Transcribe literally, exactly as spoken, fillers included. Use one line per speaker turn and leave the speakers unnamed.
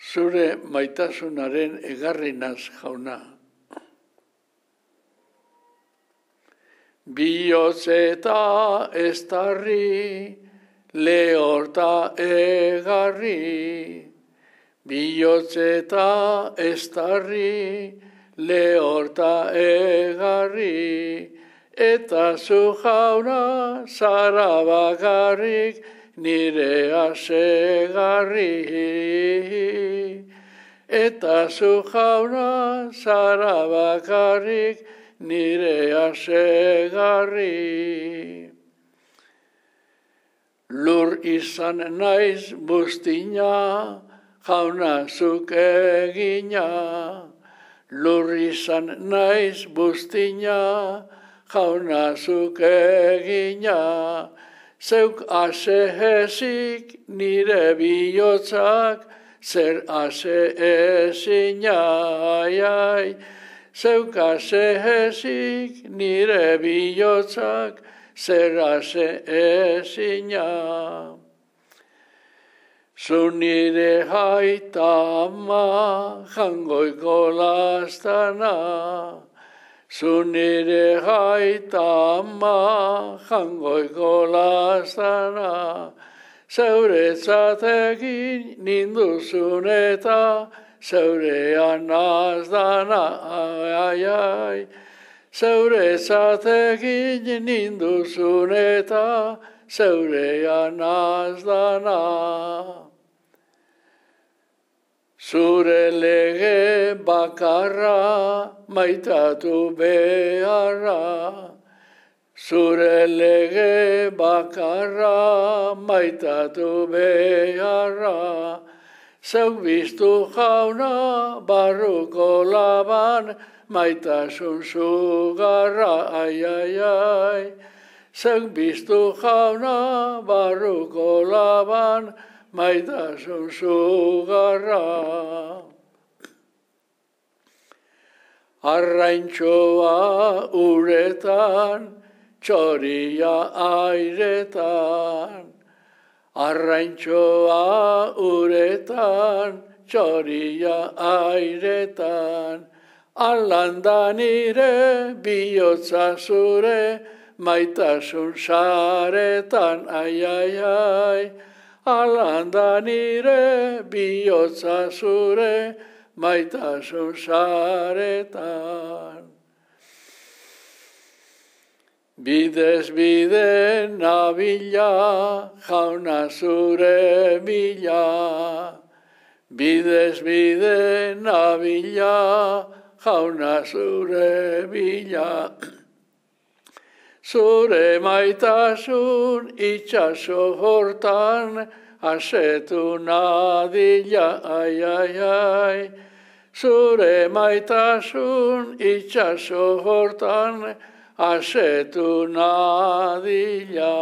zure maitasunaren egarrinaz jauna. Bihotz eta estarri, lehorta egarri. Bihotz eta estarri, lehorta egarri. Eta zu jauna zara bakarrik, nire asegarri. Eta zu jauna zara bakarrik, nire asegarri. Lur izan naiz buztina, jauna zuk egina. Lur izan naiz buztina, jauna zuk egina. Zeuk ase ezik nire bihotzak, zer ase ezina, ai, ai. Zeuk ase ezik nire bihotzak, zer ase ezina. Zu nire aita ama, jangoiko lastana. Zu nire aita ama, jangoiko lastana. Zeuretzat egin ninduzun eta, zeurean azdana, ai, ai. Zeuretzat egin ninduzun eta, zeurean azdana. Zure lege bakarra, maitatu beharra. Zure lege bakarra, maitatu beharra. Zeuk biztu jauna, barruko laban, maitasun zugarra, ai, ai, ai. Zeuk biztu jauna, barruko laban, maitasun zugarra. Arraintxoa uretan, txoria airetan. Arraintxoa uretan, txoria airetan. Alanda nire bihotza zure, maitasun saretan, ai, ai, ai. Alanda nire bihotza zure, maitasun saretan. Bidez bide nabila, jauna zure bila. Bidez bide nabila, jauna zure bila. Zure maitasun itxaso hortan, asetu nadila, ai, ai, ai. Zure maitasun itxaso hortan, asetu nadila.